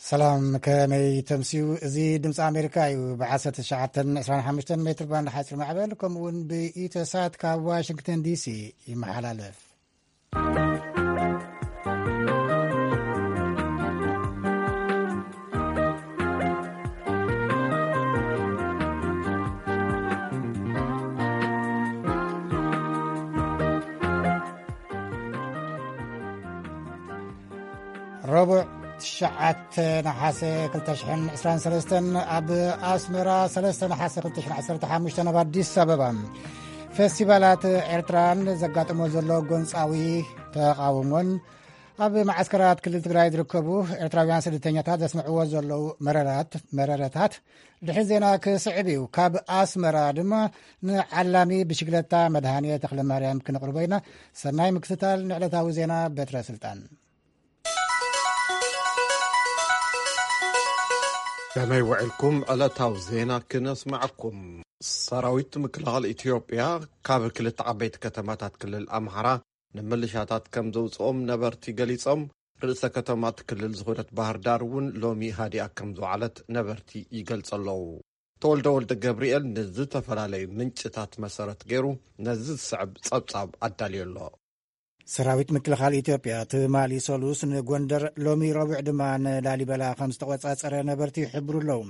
ሰላም፣ ከመይ ተምስዩ? እዚ ድምፂ ኣሜሪካ እዩ። ብ19 25 ሜትር ባንድ ሓፂር ማዕበል፣ ከምኡ እውን ብኢተሳት ካብ ዋሽንግተን ዲሲ ይመሓላለፍ። ረቡዕ፣ ትሽዓተ ነሓሰ ክልተ ሽሕን ዕስራን ሰለስተን፣ ኣብ ኣስመራ፣ ሰለስተ ነሓሰ ክልተ ሽሕን ዓሰርተ ሓሙሽተን፣ ኣብ ኣዲስ ኣበባ። ፌስቲቫላት ኤርትራን ዘጋጠሞ ዘሎ ጎንጻዊ ተቓውሞን፣ ኣብ መዓስከራት ክልል ትግራይ ዝርከቡ ኤርትራውያን ስደተኛታት ዘስምዕዎ ዘለዉ መረራት-፣ መረረታት ድሕሪ ዜና ክስዕብ እዩ። ካብ ኣስመራ ድማ ንዓላሚ ብሽግለታ መድሃኔ ተኽለ ማርያም ክነቕርቦ ኢና። ሰናይ ምክትታል ንዕለታዊ ዜና። በትረ ስልጣን። ከመይ ውዕልኩም? ዕለታዊ ዜና ክነስምዐኩም። ሰራዊት ምክልኻል ኢትዮጵያ ካብ ክልተ ዓበይቲ ከተማታት ክልል ኣምሓራ ንምልሻታት ከም ዘውፅኦም ነበርቲ ገሊፆም። ርእሰ ከተማ እቲ ክልል ዝኾነት ባህር ዳር እውን ሎሚ ሃዲኣ ከም ዝወዓለት ነበርቲ ይገልጹ ኣለዉ። ተወልደ ወልደ ገብርኤል ንዝተፈላለዩ ምንጭታት መሰረት ገይሩ ነዚ ዝስዕብ ጸብጻብ ኣዳልዩ ኣሎ። ሰራዊት ምክልኻል ኢትዮጵያ ትማሊ ሰሉስ ንጎንደር፣ ሎሚ ረቡዕ ድማ ንላሊበላ ከም ዝተቖጻጸረ ነበርቲ ይሕብሩ ኣለዉ።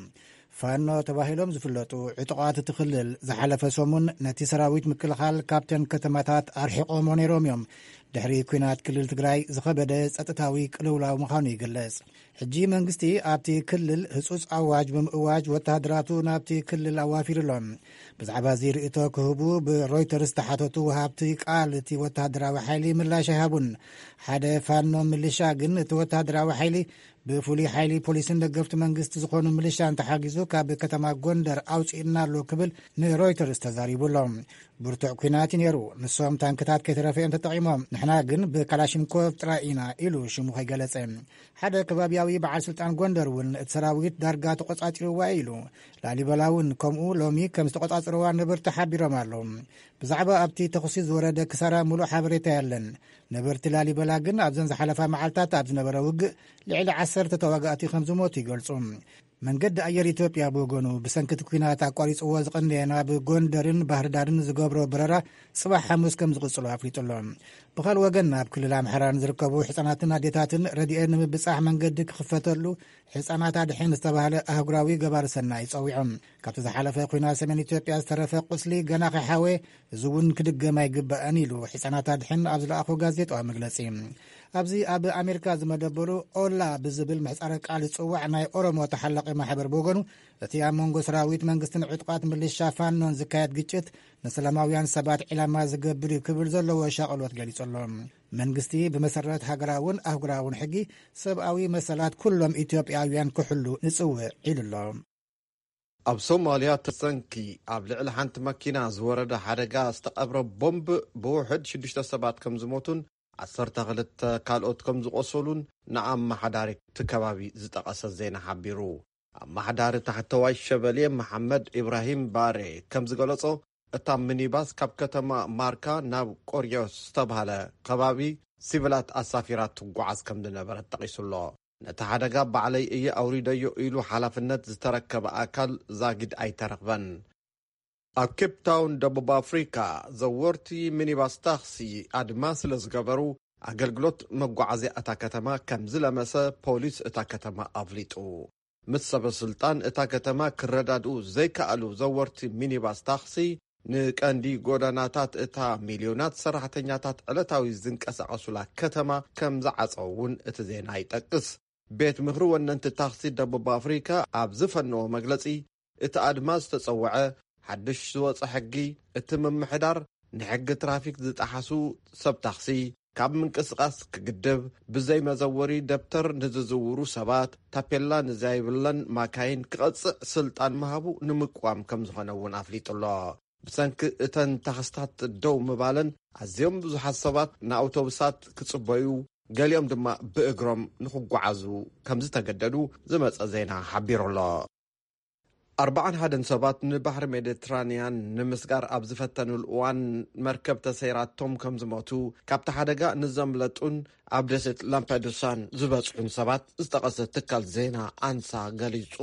ፋኖ ተባሂሎም ዝፍለጡ ዕጡቓት እቲ ክልል ዝሓለፈ ሰሙን ነቲ ሰራዊት ምክልኻል ካብተን ከተማታት ኣርሒቖሞ ነይሮም እዮም። ድሕሪ ኲናት ክልል ትግራይ ዝኸበደ ጸጥታዊ ቅልውላው ምዃኑ ይግለጽ። ሕጂ መንግስቲ ኣብቲ ክልል ህጹጽ ኣዋጅ ብምእዋጅ ወተሃደራቱ ናብቲ ክልል ኣዋፊሩ ኣሎ። ብዛዕባ እዚ ርእይቶ ክህቡ ብሮይተርስ ዝተሓተቱ ወሃብቲ ቃል እቲ ወተሃደራዊ ሓይሊ ምላሽ ኣይሃቡን። ሓደ ፋኖ ምልሻ ግን እቲ ወተሃደራዊ ሓይሊ ብፍሉይ ሓይሊ ፖሊስን ደገፍቲ መንግስቲ ዝኾኑ ምልሻን ተሓጊዙ ካብ ከተማ ጎንደር ኣውፂእና ኣሎ ክብል ንሮይተርስ ተዛሪቡ ኣሎ። ብርቱዕ ኲናት እዩ ነይሩ። ንሶም ታንክታት ከይተረፈ እዮም ተጠቒሞም፣ ንሕና ግን ብካላሽንኮቭ ጥራይ ኢና ኢሉ ሽሙ ከይገለጸ። ሓደ ከባቢያዊ በዓል ስልጣን ጎንደር እውን እቲ ሰራዊት ዳርጋ ተቖጻጺርዋ እዩ ኢሉ። ላሊበላ እውን ከምኡ ሎሚ ከም ዝተቖጻጸርዋ ነበርቲ ሓቢሮም ኣለዉ። ብዛዕባ ኣብቲ ተኹሲ ዝወረደ ክሳራ ሙሉእ ሓበሬታ የለን። ነበርቲ ላሊበላ ግን ኣብዘን ዝሓለፋ መዓልታት ኣብ ዝነበረ ውግእ ልዕሊ ዓሰርተ ተዋጋእቲ ከም ዝሞቱ ይገልጹ። መንገዲ ኣየር ኢትዮጵያ ብወገኑ ብሰንኪ እቲ ኲናት ኣቋሪጽዎ ዝቐነየ ናብ ጎንደርን ባህርዳርን ዝገብሮ በረራ ጽባሕ ሓሙስ ከም ዝቕጽሎ ኣፍሊጡ ኣሎ። ብኻልእ ወገን ናብ ክልል ኣምሓራ ንዝርከቡ ሕጻናትን ኣዴታትን ረድኤት ንምብጻሕ መንገዲ ክኽፈተሉ ሕጻናት ኣድሕን ዝተባህለ ኣህጉራዊ ገባሪ ሰናይ ጸዊዖም። ካብቲ ዝሓለፈ ኲናት ሰሜን ኢትዮጵያ ዝተረፈ ቁስሊ ገና ከይሓወየ፣ እዚ እውን ክድገም ኣይግባእን ኢሉ ሕጻናት ኣድሕን ኣብ ዝለኣኾ ጋዜጣዊ መግለጺ። ኣብዚ ኣብ ኣሜሪካ ዝመደበሩ ኦላ ብዝብል ምሕጻረ ቃል ዝጽዋዕ ናይ ኦሮሞ ተሓላቒ ማሕበር ብወገኑ፣ እቲ ኣብ መንጎ ሰራዊት መንግስትን ዕጡቓት ምልሻ ፋኖን ዝካየድ ግጭት ንሰላማውያን ሰባት ዒላማ ዝገብር እዩ ክብል ዘለዎ ሻቕሎት ገሊጹ ኣሎ። መንግስቲ ብመሰረት ሃገራውን ኣህጉራውን ሕጊ ሰብኣዊ መሰላት ኩሎም ኢትዮጵያውያን ክሕሉ ንጽውዕ ኢሉ ኣሎ። ኣብ ሶማልያ ተሰንኪ ኣብ ልዕሊ ሓንቲ መኪና ዝወረደ ሓደጋ ዝተቐብረ ቦምብ ብውሕድ ሽዱሽተ ሰባት ከም ዝሞቱን ዓሰርተ ክልተ ካልኦት ከም ዝቖሰሉን ንኣመሓዳሪ እቲ ከባቢ ዝጠቐሰ ዜና ሓቢሩ። ኣመሓዳሪ ታሕተዋይ ሸበሌ መሓመድ ኢብራሂም ባሬ ከም ዝገለጾ፣ እታ ሚኒባስ ካብ ከተማ ማርካ ናብ ቆርዮስ ዝተባህለ ከባቢ ሲቪላት ኣሳፊራ ትጓዓዝ ከም ዝነበረት ጠቒሱ ኣሎ። ነቲ ሓደጋ ባዕለይ እየ ኣውሪደዮ ኢሉ ሓላፍነት ዝተረከበ ኣካል ዛጊድ ኣይተረኽበን። ኣብ ኬፕ ታውን ደቡብ ኣፍሪካ ዘወርቲ ሚኒባስ ታክሲ ኣድማ ስለ ዝገበሩ ኣገልግሎት መጓዓዝያ እታ ከተማ ከም ዝለመሰ ፖሊስ እታ ከተማ ኣፍሊጡ። ምስ ሰበ ስልጣን እታ ከተማ ክረዳድኡ ዘይከኣሉ ዘወርቲ ሚኒባስ ታክሲ ንቀንዲ ጎደናታት እታ ሚልዮናት ሰራሕተኛታት ዕለታዊ ዝንቀሳቐሱላ ከተማ ከም ዝዓጸው እውን እቲ ዜና ይጠቅስ። ቤት ምኽሪ ወነንቲ ታክሲ ደቡብ ኣፍሪካ ኣብ ዝፈነዎ መግለጺ፣ እቲ ኣድማ ዝተጸውዐ ሓድሽ ዝወጸ ሕጊ፣ እቲ ምምሕዳር ንሕጊ ትራፊክ ዝጠሓሱ ሰብ ታክሲ ካብ ምንቅስቓስ ክግድብ፣ ብዘይ መዘወሪ ደብተር ንዝዝውሩ ሰባት ታፔላ ንዘይብለን ማካይን ክቐጽዕ ስልጣን ምሃቡ ንምቅዋም ከም ዝኾነ እውን ኣፍሊጡ ኣሎ። ብሰንኪ እተን ታክስታት ደው ምባለን ኣዝዮም ብዙሓት ሰባት ንኣውቶቡሳት ክጽበዩ፣ ገሊኦም ድማ ብእግሮም ንኽጓዓዙ ከም ዝተገደዱ ዝመጸ ዜና ሓቢሩ ኣሎ። ኣርባዓን ሓደን ሰባት ንባሕሪ ሜዲትራንያን ንምስጋር ኣብ ዝፈተኑሉ እዋን መርከብ ተሰይራቶም ከም ዝሞቱ፣ ካብቲ ሓደጋ ንዘምለጡን ኣብ ደሴት ላምፐዱሳን ዝበጽሑን ሰባት ዝጠቐሰ ትካል ዜና ኣንሳ ገሊጹ።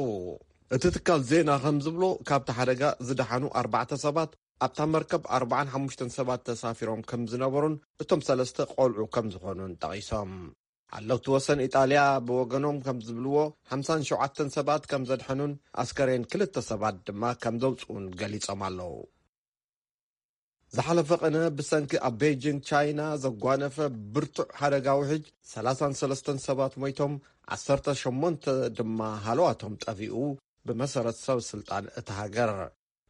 እቲ ትካል ዜና ከም ዝብሎ፣ ካብቲ ሓደጋ ዝደሓኑ ኣርባዕተ ሰባት፣ ኣብታ መርከብ ኣርባዓን ሓሙሽተን ሰባት ተሳፊሮም ከም ዝነበሩን እቶም ሰለስተ ቆልዑ ከም ዝኾኑን ጠቒሶም። ሓለውቲ ወሰን ኢጣልያ ብወገኖም ከም ዝብልዎ፣ ሓምሳን ሸውዓተን ሰባት ከም ዘድሐኑን ኣስከሬን ክልተ ሰባት ድማ ከም ዘውፅኡን ገሊጾም ኣለዉ። ዝሓለፈ ቐነ ብሰንኪ ኣብ ቤጂንግ ቻይና ዘጓነፈ ብርቱዕ ሓደጋ ውሕጅ ሰላሳን ሰለስተን ሰባት ሞይቶም፣ ዓሰርተ ሸሞንተ ድማ ሃለዋቶም ጠፊኡ፣ ብመሰረት ሰብ ስልጣን እታ ሃገር።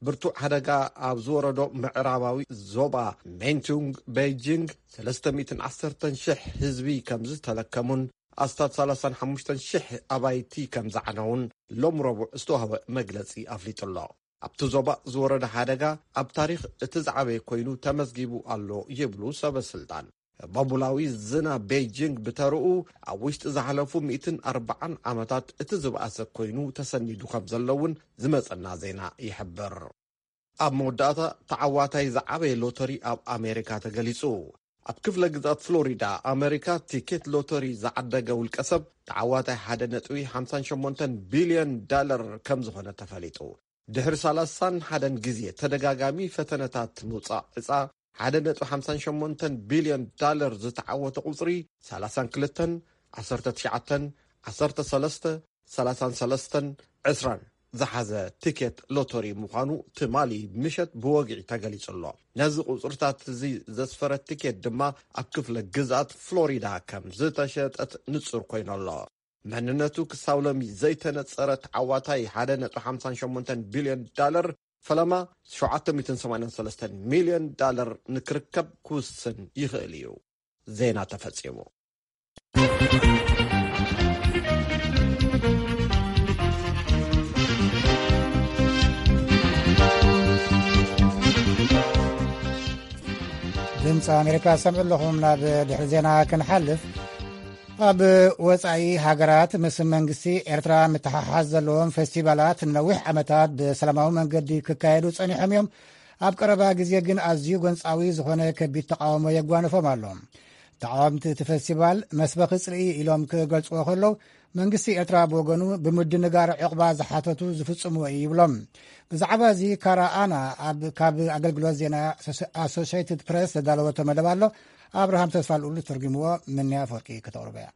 ብርቱዕ ሓደጋ ኣብ ዝወረዶ ምዕራባዊ ዞባ ሜንቱንግ ቤጂንግ ሰለስተ ሚእትን ዓሰርተን ሽሕ ህዝቢ ከም ዝተለከሙን ኣስታት ሰላሳን ሓሙሽተን ሽሕ ኣባይቲ ከም ዝዓነውን ሎም ረቡዕ ዝተዋህበ መግለጺ ኣፍሊጡ ኣሎ። ኣብቲ ዞባ ዝወረደ ሓደጋ ኣብ ታሪኽ እቲ ዝዓበየ ኮይኑ ተመዝጊቡ ኣሎ ይብሉ ሰበ ስልጣን። ባቡላዊ ዝና ቤጂንግ ብተርኡ ኣብ ውሽጢ ዝሓለፉ ሚእትን ኣርባዓን ዓመታት እቲ ዝበኣሰ ኮይኑ ተሰኒዱ ከም ዘሎ እውን ዝመጸና ዜና ይሕብር። ኣብ መወዳእታ ተዓዋታይ ዝዓበየ ሎተሪ ኣብ ኣሜሪካ ተገሊጹ። ኣብ ክፍለ ግዛት ፍሎሪዳ ኣሜሪካ ቲኬት ሎተሪ ዝዓደገ ውልቀ ሰብ ተዓዋታይ ሓደ ነጥቢ ሓምሳን ሸሞንተን ቢልዮን ዳለር ከም ዝኾነ ተፈሊጡ። ድሕሪ ሰላሳን ሓደን ግዜ ተደጋጋሚ ፈተነታት ምውጻእ ዕጻ፣ ሓደ ነጥቢ ሓምሳን ሸሞንተን ቢልዮን ዳለር ዝተዓወተ ቁጽሪ፣ ሰላሳን ክልተን፣ ዓሰርተ ትሽዓተን፣ ዓሰርተ ሰለስተ፣ ሰላሳን ሰለስተን፣ ዕስራን ዝሓዘ ቲኬት ሎተሪ ምዃኑ ትማሊ ምሸት ብወግዒ ተገሊጹ ኣሎ። ነዚ ቁጽርታት እዚ ዘስፈረ ቲኬት ድማ ኣብ ክፍለ ግዝኣት ፍሎሪዳ ከም ዝተሸጠት ንጹር ኮይኑ ኣሎ። መንነቱ ክሳብ ሎሚ ዘይተነጸረ ተዓዋታይ ሓደ ነጥቢ ሓምሳን ሸሞንተን ቢልዮን ዳለር፣ ፈለማ ሸውዓተ ሚእትን ሰማንያን ሰለስተን ሚልዮን ዳለር ንክርከብ ክውስን ይኽእል እዩ። ዜና ተፈጺሙ። ድምፂ ኣሜሪካ ሰምዑ ኣለኹም። ናብ ድሕሪ ዜና ክንሓልፍ፣ ኣብ ወጻኢ ሃገራት ምስ መንግስቲ ኤርትራ ምትሓሓዝ ዘለዎም ፌስቲቫላት ንነዊሕ ዓመታት ብሰላማዊ መንገዲ ክካየዱ ጸኒሖም እዮም። ኣብ ቀረባ ግዜ ግን ኣዝዩ ጎንጻዊ ዝኾነ ከቢድ ተቃውሞ የጓንፎም ኣሎ። ተቃወምቲ እቲ ፌስቲቫል መስበኺ ጽልኢ ኢሎም ክገልጽዎ ከለዉ፣ መንግስቲ ኤርትራ ብወገኑ ብምድንጋር ዕቕባ ዝሓተቱ ዝፍጽምዎ እዩ ይብሎም። ብዛዕባ እዚ ካራ ኣና ኣብ፣ ካብ ኣገልግሎት ዜና ኣሶ-፣ ኣሶሽየትድ ፕሬስ ዘዳለወቶ መደብ ኣሎ። ኣብርሃም ተስፋ ልኡል ተርጉምዎ፣ ምንያ ኣፈወርቂ ከተቕርቦ እያ።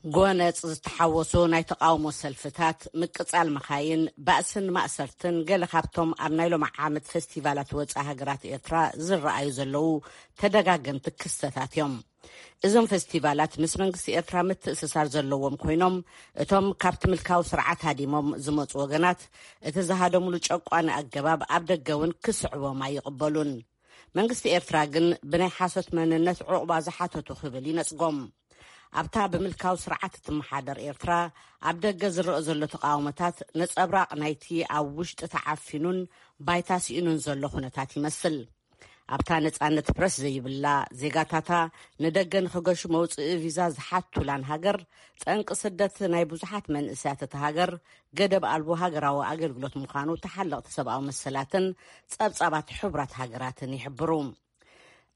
ጎነጽ ዝተሓወሱ ናይ ተቃውሞ ሰልፍታት፣ ምቅጻል መኻይን፣ ባእስን ማእሰርትን ገለ ካብቶም ኣብ ናይ ሎሚ ዓመት ፌስቲቫላት ወጻኢ ሃገራት ኤርትራ ዝረኣዩ ዘለዉ ተደጋገምቲ ክስተታት እዮም። እዞም ፌስቲቫላት ምስ መንግስቲ ኤርትራ ምትእስሳር ዘለዎም ኮይኖም፣ እቶም ካብቲ ምልካዊ ስርዓት ሃዲሞም ዝመጹ ወገናት፣ እቲ ዝሃደሙሉ ጨቋኒ ኣገባብ ኣብ ደገ እውን ክስዕቦም ኣይቕበሉን። መንግስቲ ኤርትራ ግን ብናይ ሓሶት መንነት ዑቕባ ዝሓተቱ ክብል ይነጽጎም። ኣብታ ብምልካዊ ስርዓት እትመሓደር ኤርትራ፣ ኣብ ደገ ዝረአ ዘሎ ተቃውሞታት ነጸብራቕ ናይቲ ኣብ ውሽጢ ተዓፊኑን ባይታ ስኢኑን ዘሎ ኩነታት ይመስል። ኣብታ ነጻነት ፕረስ ዘይብላ፣ ዜጋታታ ንደገ ንኽገሹ መውጽኢ ቪዛ ዝሓቱላን ሃገር፣ ጠንቂ ስደት ናይ ብዙሓት መንእሰያት እታ ሃገር፣ ገደብ ኣልቦ ሃገራዊ ኣገልግሎት ምዃኑ ተሓለቕቲ ሰብኣዊ መሰላትን ጸብጻባት ሕቡራት ሃገራትን ይሕብሩ።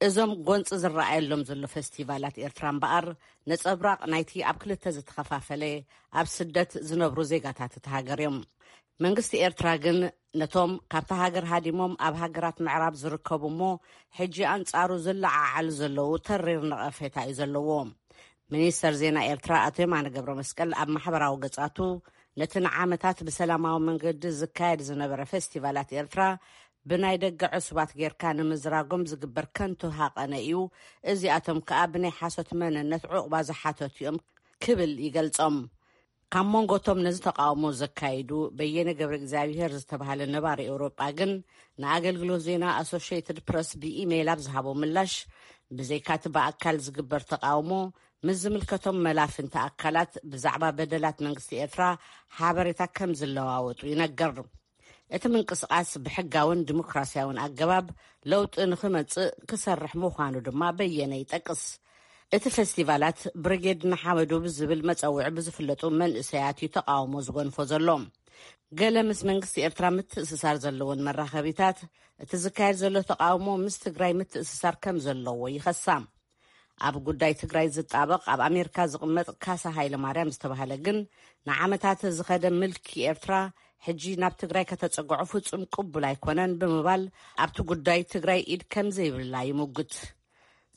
እዞም ጎንጺ ዝረኣየሎም ዘሎ ፌስቲቫላት ኤርትራ እምበኣር፣ ነጸብራቕ ናይቲ ኣብ ክልተ ዝተኸፋፈለ፣ ኣብ ስደት ዝነብሩ ዜጋታት እታ ሃገር እዮም። መንግስቲ ኤርትራ ግን፣ ነቶም ካብታ ሃገር ሃዲሞም ኣብ ሃገራት ምዕራብ ዝርከቡ እሞ፣ ሕጂ ኣንጻሩ ዝለዓዓሉ ዘለዉ ተሪር ነቐፌታ እዩ ዘለዎ። ሚኒስተር ዜና ኤርትራ ኣቶ የማነ ገብረ መስቀል ኣብ ማሕበራዊ ገጻቱ፣ ነቲ ንዓመታት ብሰላማዊ መንገዲ ዝካየድ ዝነበረ ፌስቲቫላት ኤርትራ ብናይ ደገ ዕሱባት ጌርካ ንምዝራጎም ዝግበር ከንቱ ሃቐነ እዩ፣ እዚኣቶም ከኣ ብናይ ሓሶት መንነት ዑቕባ ዝሓተቱ እዮም ክብል ይገልጾም። ካብ መንጎቶም ነዚ ተቃውሞ ዘካይዱ በየነ ገብረ እግዚኣብሔር ዝተባህለ ነባሪ ኤውሮጳ ግን፣ ንኣገልግሎት ዜና ኣሶሽየትድ ፕረስ ብኢሜይል ኣብ ዝሃቦ ምላሽ፣ ብዘይካቲ ብኣካል ዝግበር ተቃውሞ፣ ምስ ዝምልከቶም መላፍንቲ ኣካላት ብዛዕባ በደላት መንግስቲ ኤርትራ ሓበሬታ ከም ዝለዋወጡ ይነገር። እቲ ምንቅስቃስ ብሕጋውን ዲሞክራሲያውን ኣገባብ ለውጢ ንኽመጽእ ክሰርሕ ምዃኑ ድማ በየነ ይጠቅስ። እቲ ፌስቲቫላት ብሪጌድ ንሓመዱ ብዝብል መጸውዒ ብዝፍለጡ መንእሰያት እዩ ተቃውሞ ዝጎንፎ ዘሎ። ገለ ምስ መንግስቲ ኤርትራ ምትእስሳር ዘለዎን መራኸቢታት፣ እቲ ዝካየድ ዘሎ ተቓውሞ ምስ ትግራይ ምትእስሳር ከም ዘለዎ ይኸሳ። ኣብ ጉዳይ ትግራይ ዝጣበቕ ኣብ ኣሜሪካ ዝቕመጥ ካሳ ሃይለ ማርያም ዝተባህለ ግን፣ ንዓመታት ዝኸደ ምልኪ ኤርትራ ሕጂ ናብ ትግራይ ከተጸግዖ ፍጹም ቅቡል ኣይኮነን ብምባል፣ ኣብቲ ጉዳይ ትግራይ ኢድ ከም ዘይብላ ይምጉት።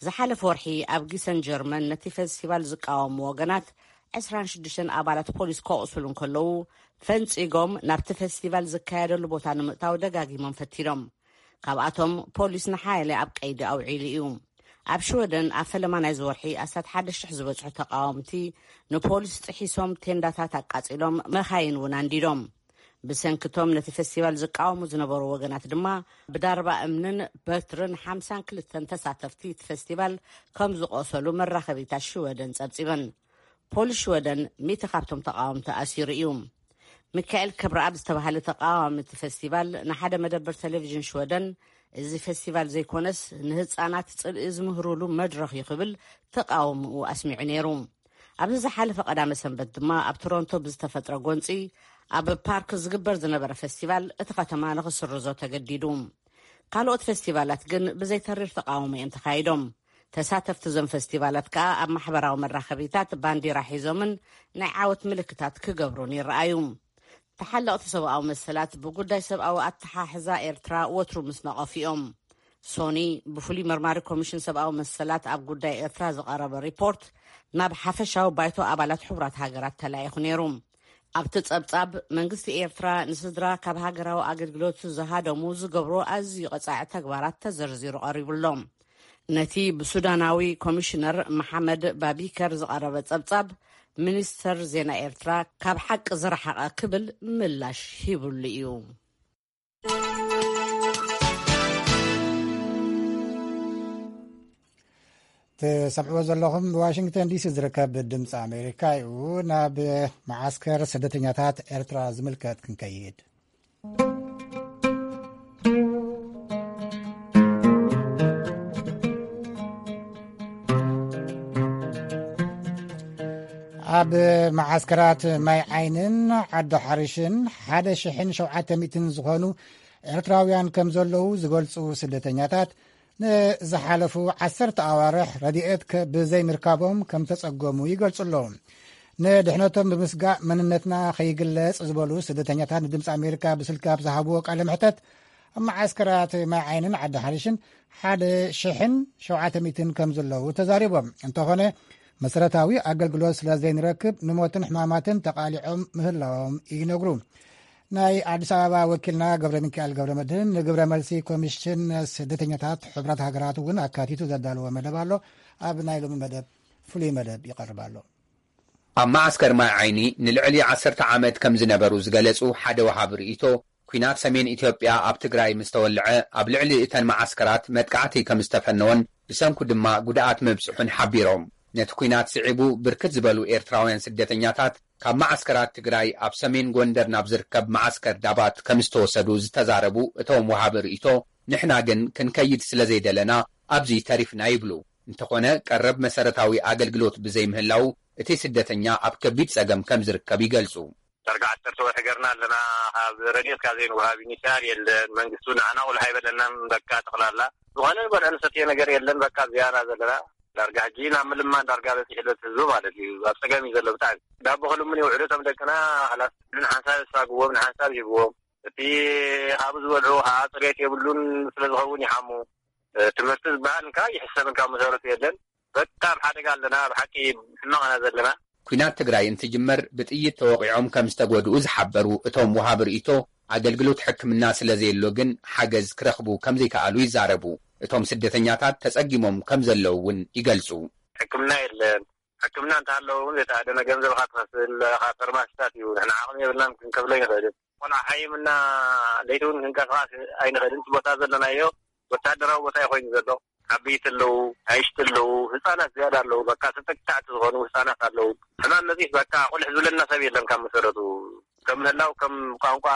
ዝሓለፈ ወርሒ ኣብ ጊሰን ጀርመን ነቲ ፌስቲቫል ዝቃወሙ ወገናት ዕስራን ሽዱሽተን ኣባላት ፖሊስ ከቕስሉ እንከለዉ፣ ፈንጺጎም ናብቲ ፌስቲቫል ዝካየደሉ ቦታ ንምእታው ደጋጊሞም ፈቲኖም። ካብኣቶም ፖሊስ ንሓያለ ኣብ ቀይዲ ኣውዒሉ እዩ። ኣብ ሽወደን ኣብ ፈለማ ናይዚ ወርሒ ኣስታት ሓደ ሽሕ ዝበጽሑ ተቃወምቲ ንፖሊስ ጥሒሶም ቴንዳታት ኣቃጺሎም፣ መኻይን እውን ኣንዲዶም። ብሰንክቶም ነቲ ፌስቲቫል ዝቃወሙ ዝነበሩ ወገናት ድማ ብዳርባ እምንን በትርን ሓምሳን ክልተን ተሳተፍቲ እቲ ፌስቲቫል ከም ዝቆሰሉ መራኸቢታት ሽወደን ጸብጺበን። ፖሊስ ሽወደን ሚእቲ ካብቶም ተቃወምቲ ኣሲሩ እዩ። ሚካኤል ክብረኣብ ዝተባህለ ተቃዋሚ እቲ ፌስቲቫል ንሓደ መደብር ቴሌቪዥን ሽወደን፣ "እዚ ፌስቲቫል ዘይኮነስ ንህጻናት ጽልኢ ዝምህሩሉ መድረኽ እዩ" ክብል ተቃውምኡ ኣስሚዑ ነይሩ። ኣብዚ ዝሓለፈ ቀዳመ ሰንበት ድማ ኣብ ቶሮንቶ ብዝተፈጥረ ጎንጺ ኣብ ፓርክ ዝግበር ዝነበረ ፌስቲቫል እቲ ከተማ ንኽስርዞ ተገዲዱ። ካልኦት ፌስቲቫላት ግን ብዘይተሪር ተቃውሞ እዮም ተኻይዶም። ተሳተፍቲ እዞም ፌስቲቫላት ከኣ ኣብ ማሕበራዊ መራኸቢታት ባንዲራ ሒዞምን ናይ ዓወት ምልክታት ክገብሩን ይረኣዩ። ተሓለቕቲ ሰብኣዊ መሰላት ብጉዳይ ሰብኣዊ ኣተሓሕዛ ኤርትራ ወትሩ ምስ ነቐፉ እዮም። ሶኒ፣ ብፍሉይ መርማሪ ኮሚሽን ሰብኣዊ መሰላት ኣብ ጉዳይ ኤርትራ ዝቐረበ ሪፖርት፣ ናብ ሓፈሻዊ ባይቶ ኣባላት ሕቡራት ሃገራት ተላኢኹ ነይሩ። ኣብቲ ጸብጻብ፣ መንግስቲ ኤርትራ ንስድራ ካብ ሃገራዊ ኣገልግሎት ዝሃደሙ ዝገብሮ ኣዝዩ ቀጻዒ ተግባራት ተዘርዚሩ ቀሪቡ ኣሎ። ነቲ ብሱዳናዊ ኮሚሽነር መሓመድ ባቢከር ዝቐረበ ጸብጻብ፣ ሚኒስተር ዜና ኤርትራ ካብ ሓቂ ዝረሓቐ ክብል ምላሽ ሂብሉ እዩ። ትሰምዕዎ ዘለኹም ብዋሽንግተን ዲሲ ዝርከብ ድምፂ ኣሜሪካ እዩ። ናብ መዓስከር ስደተኛታት ኤርትራ ዝምልከት ክንከይድ። ኣብ መዓስከራት ማይ ዓይንን ዓዲ ሓሪሽን ሓደ ሽሕን ሸውዓተ ሚእትን ዝኾኑ ኤርትራውያን ከም ዘለዉ ዝገልጹ ስደተኛታት፣ ንዝሓለፉ ዓሰርተ ኣዋርሕ ረድኤት ከ-፣ ብዘይምርካቦም ከም ተጸገሙ ይገልጹ ኣለዉ። ንድሕነቶም ብምስጋእ መንነትና ከይግለጽ ዝበሉ ስደተኛታት ንድምፂ ኣሜሪካ ብስልኪ ኣብ ዝሃብዎ ቃለ መሕተት፣ ኣብ መዓስከራት ማይ ዓይንን ዓዲ ሓሪሽን ሓደ ሽሕን ሸውዓተ ሚእትን ከም ዘለዉ ተዛሪቦም። እንተኾነ፣ መሰረታዊ ኣገልግሎት ስለ ዘይንረክብ ንሞትን ሕማማትን ተቓሊዖም ምህላዎም ይነግሩ። ናይ ኣዲስ ኣበባ ወኪልና ገብረ ሚካኤል ገብረ መድህን ንግብረ መልሲ ኮሚሽን ስደተኛታት ሕቡራት ሃገራት እውን ኣካቲቱ ዘዳለዎ መደብ ኣሎ። ኣብ ናይ ሎሚ መደብ ፍሉይ መደብ ይቐርብ ኣሎ። ኣብ መዓስከር ማይ ዓይኒ ንልዕሊ ዓሰርተ ዓመት ከም ዝነበሩ ዝገለጹ ሓደ ወሃቢ ርእይቶ፣ ኲናት ሰሜን ኢትዮጵያ ኣብ ትግራይ ምስ ተወልዐ፣ ኣብ ልዕሊ እተን መዓስከራት መጥቃዕቲ ከም ዝተፈነወን ብሰንኩ ድማ ጉድኣት ምብጽሑን ሓቢሮም። ነቲ ኲናት ስዒቡ ብርክት ዝበሉ ኤርትራውያን ስደተኛታት ካብ መዓስከራት ትግራይ ኣብ ሰሜን ጎንደር ናብ ዝርከብ መዓስከር ዳባት ከም ዝተወሰዱ ዝተዛረቡ እቶም ወሃቢ ርእይቶ፣ ንሕና ግን ክንከይድ ስለ ዘይደለና ኣብዚ ተሪፍና ይብሉ። እንተኾነ ቀረብ መሰረታዊ ኣገልግሎት ብዘይምህላው እቲ ስደተኛ ኣብ ከቢድ ጸገም ከም ዝርከብ ይገልጹ። ዳርጋ ዓሰርተ ወርሒ ገርና ኣለና። ካብ ረድኤት ካብ ዘይንወሃብ ዩኒሲኣር የለን። መንግስቲ እውን ንዓና ቁልሕ ኣይበለናን። በቃ ጠቕላላ ዝኾነ ንበልዖ ንሰትዮ ነገር የለን። በቃ እዚኣ ኢና ዘለና። ዳርጋ ሕጂ ናብ ምልማን ዳርጋ በፂሑ ኣሎ እቲ ህዝቢ ማለት እዩ። ኣብ ፀገም እዩ ዘሎ ብጣዕሚ። ዳቦ ክልምኑ ይውዕሉ እቶም ደቅና። ሓላስ ንሓንሳብ የሳግዎም፣ ንሓንሳብ ይህብዎም። እቲ ካብኡ ዝበልዑ ከዓ ፅሬት የብሉን፣ ስለ ዝኸውን ይሓሙ። ትምህርቲ ዝበሃል እንካ ይሕሰብ እንካ መሰረቱ የለን። በጣም ሓደጋ ኣለና ብሓቂ። ሕማቕ ኢና ዘለና። ኲናት ትግራይ እንትጅመር ብጥይት ተወቒዖም ከም ዝተጎድኡ ዝሓበሩ እቶም ወሃቢ ርእይቶ፣ ኣገልግሎት ሕክምና ስለ ዘየሎ ግን ሓገዝ ክረኽቡ ከም ዘይከኣሉ ይዛረቡ። እቶም ስደተኛታት ተጸጊሞም ከም ዘለዉ እውን ይገልጹ። ሕክምና የለን። ሕክምና እንተሃለወ እውን ዘይተኣደነ ገንዘብ ኢኻ ትኸፍል፣ ካብ ፈርማሲታት እዩ። ንሕና ዓቕሚ የብልናን ክንከፍሎ ኣይንኽእልን። ቆልዓ ሓይምና ለይቲ እውን ክንቀሳቐስ ኣይንኽእልን። እቲ ቦታ ዘለናዮ ወታደራዊ ቦታ እዩ ኮይኑ ዘሎ። ዓበይቲ ኣለዉ፣ ኣይሽቲ ኣለዉ፣ ህፃናት ዝያዳ ኣለዉ። በቃ ተጠቃዕቲ ዝኾኑ ህፃናት ኣለዉ። ሕማም መፂስ በቃ ቁልሕ ዝብለና ሰብ የለን። ካብ መሰረቱ ከም ምህላው ከም ቋንቋ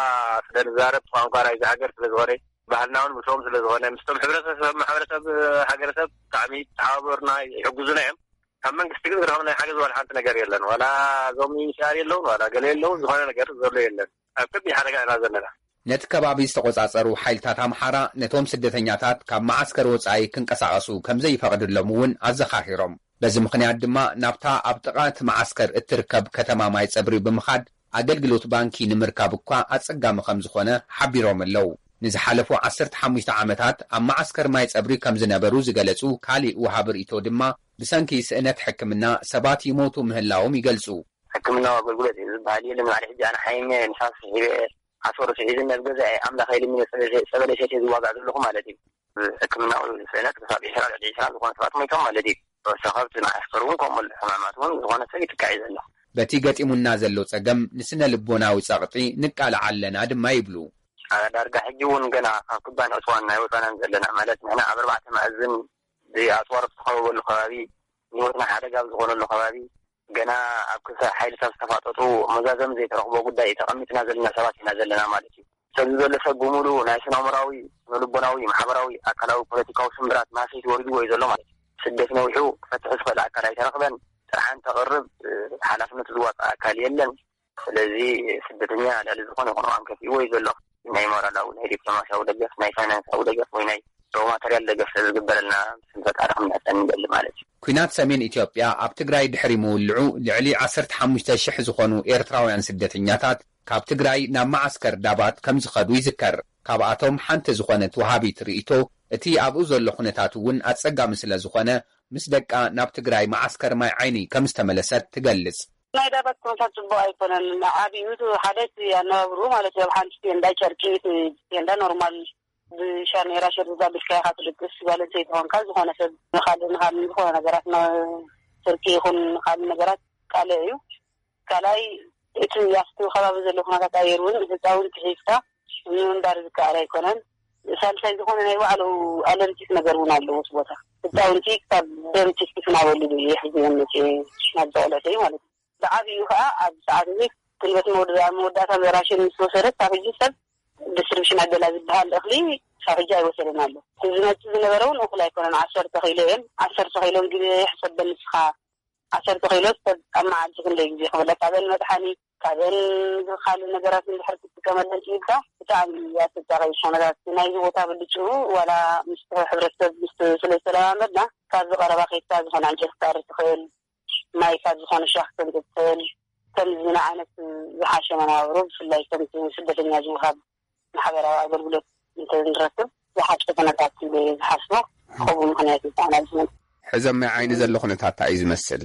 ስለ ንዛረብ፣ ቋንቋ ናይዚ ሃገር ስለ ዝኾነ፣ ባህልና እውን ምስኦም ስለ ዝኾነ፣ ምስቶም ሕብረተሰብ፣ ማሕበረሰብ፣ ሃገረሰብ ብጣዕሚ ተሓባበሩና፣ ይሕግዙና እዮም። ካብ መንግስቲ ግን ዝረኸብናዮ ሓገዝ ዋላ ሓንቲ ነገር የለን። ዋላ እዞም ዩኤንኤችሲኣር የለውን፣ ዋላ ገለ የለውን፣ ዝኾነ ነገር ዘሎ የለን። ኣብ ከቢድ ሓደጋ ኢና ዘለና። ነቲ ከባቢ ዝተቖጻጸሩ ሓይልታት ኣምሓራ ነቶም ስደተኛታት ካብ መዓስከር ወጻኢ ክንቀሳቐሱ ከም ዘይፈቕድሎም እውን ኣዘኻኺሮም። በዚ ምኽንያት ድማ ናብታ ኣብ ጥቓ እቲ መዓስከር እትርከብ ከተማ ማይ ጸብሪ ብምኻድ ኣገልግሎት ባንኪ ንምርካብ እኳ ኣጸጋሚ ከም ዝኾነ ሓቢሮም ኣለዉ። ንዝሓለፉ ዓሰርተ ሓሙሽተ ዓመታት ኣብ መዓስከር ማይ ጸብሪ ከም ዝነበሩ ዝገለጹ ካሊእ ወሃቢ ርእይቶ ድማ ብሰንኪ ስእነት ሕክምና ሰባት ይሞቱ ምህላዎም ይገልጹ። ሕክምናዊ ኣገልግሎት እዩ ዝበሃል የለን። ማለት ሕጂ ኣነ ሓየኛ እየ፣ ንፋስ ስሒበ፣ ዓሶር ስሒዝኒ ኣብ ገዛ እየ። ኣምላኽ ኢሉ ጸበለ ሰትየ ዝዋጋእ ዘለኹ ማለት እዩ። ሕክምናዊ ስእነት ክሳብ ዕስራ ልዕሊ ዕስራ ዝኾነ ሰባት ሞይቶም ማለት እዩ። ተወሳኸብቲ መዓስከር እውን ከምኡ ኣሎ። ሕማማት እውን ዝኾነ ሰብ ይጥቃዕ እዩ ዘሎ። በቲ ገጢሙና ዘሎ ጸገም ንስነ ልቦናዊ ጸቕጢ ንቃልዓ ኣለና ድማ ይብሉ። ዳርጋ ሕጂ እውን ገና ካብ ክባን ዕፅዋን ናይ ወፃናን ዘለና ማለት ንሕና ኣብ ኣርባዕተ መኣዝን ብኣፅዋር ዝተኸበበሉ ከባቢ፣ ህይወትና ሓደጋ ኣብ ዝኾነሉ ከባቢ፣ ገና ኣብ ክልተ ሓይልታት ዝተፋጠጡ መዛዘም ዘይተረኽቦ ጉዳይ እዩ ተቐሚጥና ዘለና ሰባት ኢና ዘለና ማለት እዩ። ሰዚ ዘሎ ሰብ ብምሉ ናይ ስነ ኣእምራዊ፣ ስነ ልቦናዊ፣ ማሕበራዊ፣ ኣካላዊ፣ ፖለቲካዊ ስምብራት ማሰይቲ ወሪድዎ እዩ ዘሎ ማለት እዩ። ስደት ነዊሑ ክፈትሕ ዝኽእል ኣካል ኣይተረኽበን። ጥርሓን ተቕርብ ሓላፍነቱ ዝዋፅእ ኣካል የለን። ስለዚ ስደተኛ ልዕሊ ዝኾነ ይኹን እዋን ከፊእዎ እዩ ዘሎ። ናይ ሞራላዊ፣ ናይ ዲፕሎማሲያዊ ደገፍ፣ ናይ ፋይናንሳዊ ደገፍ ወይ ናይ ሮ ማተርያል ደገፍ ስለዝግበረልና ስም ፈጣሪ ክንምሕፀን ንደሊ ማለት እዩ። ኩናት ሰሜን ኢትዮጵያ ኣብ ትግራይ ድሕሪ ምውልዑ ልዕሊ ዓሰርተ ሓሙሽተ ሽሕ ዝኾኑ ኤርትራውያን ስደተኛታት ካብ ትግራይ ናብ መዓስከር ዳባት ከም ዝኸዱ ይዝከር። ካብኣቶም ሓንቲ ዝኾነት ወሃቢት ርእይቶ እቲ ኣብኡ ዘሎ ኩነታት እውን ኣጸጋሚ ስለ ዝኾነ ምስ ደቃ ናብ ትግራይ መዓስከር ማይ ዓይኒ ከም ዝተመለሰት ትገልጽ። ናይ ዳባት ኩነታት ጽቡቕ ኣይኮነን። ዓብዩ እቲ ሓደ እቲ ኣነባብርኡ ማለት እዩ። ኣብ ሓንቲ ቴንዳ ጨርቂ፣ እቲ ቴንዳ ኖርማል ብሻሜራ ሸርዛ ብልካ ኢኻ ትድቅስ። ጓል ኣንስተይቲ ኾንካ ዝኾነ ሰብ ንኻልእ ንኻልእ ዝኾነ ነገራት ነ-፣ ስርቂ ይኹን ካልእ ነገራት ካልእ እዩ። ካልኣይ እቲ ኣብቲ ከባቢ ዘሎ ኩነታት ኣየር እውን ህፃውንቲ ሒዝካ ንምንባር ዝከኣል ኣይኮነን። ሳልሳይ ዝኾነ ናይ ባዕሉ ኣለርጂክ ነገር እውን ኣለዎ እቲ ቦታ። ህፃውንቲ ካብ ደም ቲፍቲፍ እናበሉ እዩ ሕዝዮም መፅኡ ናብ ዘቐለተይ ማለት እዩ። ብዓብዩ ከዓ ኣብ ሰዓት እዚ ጉልበት መወዳ-፣ መወዳእታ ራሽን ምስ ወሰደት ካብ ሕጂ ሰብ ዲስትሪቢሽን ኣደላ ዝበሃል እኽሊ ካብ ሕጂ ኣይወሰደን ኣሎ። እቲ ዝመፅእ ዝነበረ እውን እኹል ኣይኮነን። ዓሰርተ ኪሎ እየን። ዓሰርተ ኪሎ እንግዲህ ሕሰበን ንስኻ። ዓሰርተ ኪሎ ሰብ ኣብ መዓልቲ ክንደይ ግዜ ክበልዕ? ካብአን መድሓኒ፣ ካብአን ካልእ ነገራት እንድሕር ክትጥቀመለን ክኢልካ ብጣዕሚ ኣሰቃቂ እዩ ኩነታት ናይዚ ቦታ ብልጭኡ። ዋላ ምስ ሕብረተሰብ ምስ ስለ ዝተለማመድና ካብዚ ቀረባ ከይድካ ዝኾነ ዕንጨይቲ ክትኣሪ ትኽእል፣ ማይ ካብ ዝኾነ ሻኽ ክትምጽእ ትኽእል። ከምዚ ዓይነት ዝሓሸ መነባብሮ ብፍላይ ከምቲ ስደተኛ ዝወሃብ ማሕበራዊ ኣገልግሎት እንተንረክብ ዝሓሸ ኩነታት ኢለ እየ ዝሓስቦ። ከምኡ ምኽንያት እዩ ከዓና ዝመጽእ። ሕዚ ኣብ ማይ ዓይኒ ዘሎ ኩነታት እንታይ እዩ ዝመስል?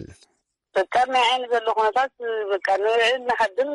በቃ ኣብ ማይ ዓይኒ ዘሎ ኩነታት በቃ ንውዕል ንሓድር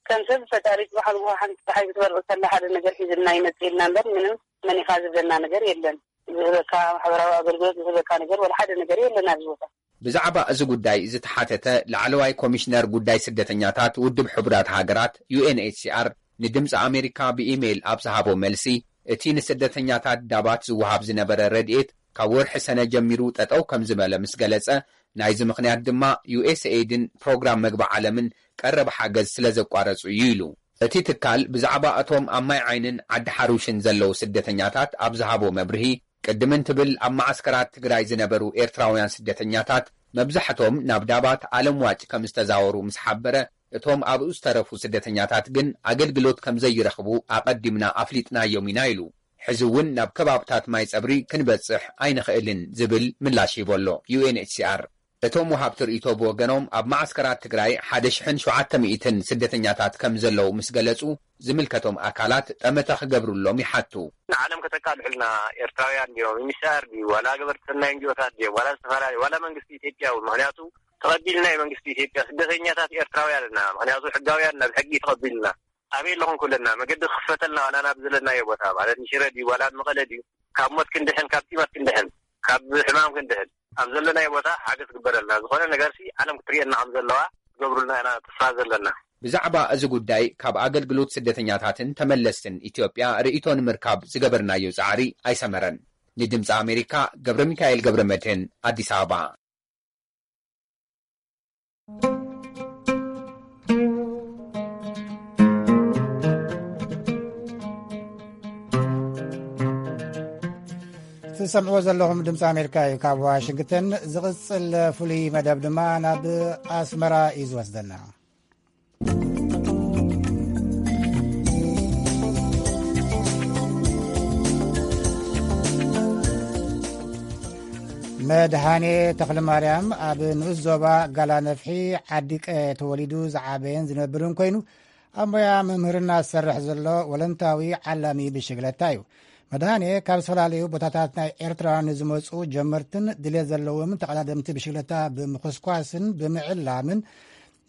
ከም ሰብ ፈጣሪ ጽባሕ ንግሆ ሓንቲ ፀሓይ ክትበርቕ ከላ ሓደ ነገር ሒዝልና ይመጽእ ኢልና እምበር ምንም መን ኢኻ ዝብለና ነገር የለን። ዝህበካ ማሕበራዊ ኣገልግሎት ዝህበካ ነገር ወላ ሓደ ነገር የለን ኣብዚ ቦታ። ብዛዕባ እዚ ጉዳይ ዝተሓተተ ላዕለዋይ ኮሚሽነር ጉዳይ ስደተኛታት ውድብ ሕቡራት ሃገራት ዩ ኤን ኤች ሲ ኣር ንድምፂ ኣሜሪካ ብኢሜይል ኣብ ዝሃቦ መልሲ፣ እቲ ንስደተኛታት ዳባት ዝወሃብ ዝነበረ ረድኤት ካብ ወርሒ ሰነ ጀሚሩ ጠጠው ከም ዝበለ ምስ ገለጸ፣ ናይዚ ምኽንያት ድማ ዩ ኤስ ኤይድን ፕሮግራም መግቢ ዓለምን ቀረብ ሓገዝ ስለ ዘቋረጹ እዩ ኢሉ። እቲ ትካል ብዛዕባ እቶም ኣብ ማይ ዓይንን ዓዲ ሓሩሽን ዘለዉ ስደተኛታት ኣብ ዝሃቦ መብርሂ፣ ቅድም እንትብል ኣብ መዓስከራት ትግራይ ዝነበሩ ኤርትራውያን ስደተኛታት መብዛሕቶም ናብ ዳባት ኣለምዋጭ ከም ዝተዛወሩ ምስ ሓበረ፣ እቶም ኣብኡ ዝተረፉ ስደተኛታት ግን ኣገልግሎት ከም ዘይረኽቡ ኣቐዲምና ኣፍሊጥናዮም ኢና ኢሉ። ሕዚ እውን ናብ ከባብታት ማይ ጸብሪ ክንበጽሕ ኣይንኽእልን ዝብል ምላሽ ሂቦ ኣሎ ዩ ኤን ኤች ሲ ኣር። እቶም ወሃብቲ ርእይቶ ብወገኖም ኣብ መዓስከራት ትግራይ ሓደ ሽሕን ሸውዓተ ሚእትን ስደተኛታት ከም ዘለዉ ምስ ገለጹ፣ ዝምልከቶም ኣካላት ጠመተ ክገብሩሎም ይሓቱ። ንዓለም ከተቃልሑልና ኤርትራውያን ድዮም? ኤም ኤች ሲ ኣር ድዩ? ዋላ ገበርቲ ሰናይ ኤን ጂ ኦታት ድዮም? ዋላ ዝተፈላለዩ፣ ዋላ መንግስቲ ኢትዮጵያ እውን? ምኽንያቱ ተቐቢልና እዩ መንግስቲ ኢትዮጵያ ስደተኛታት ኤርትራውያን እና። ምኽንያቱ ሕጋውያን ናብ ሕጊ ተቐቢልና። ኣበይ ኣለኹም ክብለና፣ መገዲ ክኽፈተልና ዋላ ናብ ዘለናዮ ቦታ ማለት ንሽረ ድዩ ዋላ ኣብ መቐለ ድዩ? ካብ ሞት ክንድሕን፣ ካብ ጢማት ክንድሕን፣ ካብ ሕማም ክንድሕን ኣብ ዘለናዮ ቦታ ሓገዝ ክግበረልና። ዝኾነ ነገርሲ ዓለም ክትርእየና ከም ዘለዋ ትገብሩልና ኢና ተስፋ ዘለና። ብዛዕባ እዚ ጉዳይ ካብ ኣገልግሎት ስደተኛታትን ተመለስትን ኢትዮጵያ ርእይቶ ንምርካብ ዝገበርናዮ ጻዕሪ ኣይሰመረን። ንድምፂ ኣሜሪካ ገብረ ሚካኤል ገብረ መድህን ኣዲስ ኣበባ። ትሰምዕዎ ዘለኹም ድምፂ ኣሜሪካ እዩ ካብ ዋሽንግተን። ዝቕፅል ፍሉይ መደብ ድማ ናብ ኣስመራ እዩ ዝወስደና። መድሃኔ ተኽለማርያም ኣብ ንኡስ ዞባ ጋላ ነፍሒ ዓዲቀ ተወሊዱ ዝዓበየን ዝነብርን ኮይኑ፣ ኣብ ሞያ መምህርና ዝሰርሕ ዘሎ ወለንታዊ ዓላሚ ብሽግለታ እዩ። መድሃኔ ካብ ዝተፈላለዩ ቦታታት ናይ ኤርትራ ንዝመጹ ጀመርትን ድሌት ዘለዎም ተቐዳደምቲ ብሽግለታ ብምኹስኳስን ብምዕላምን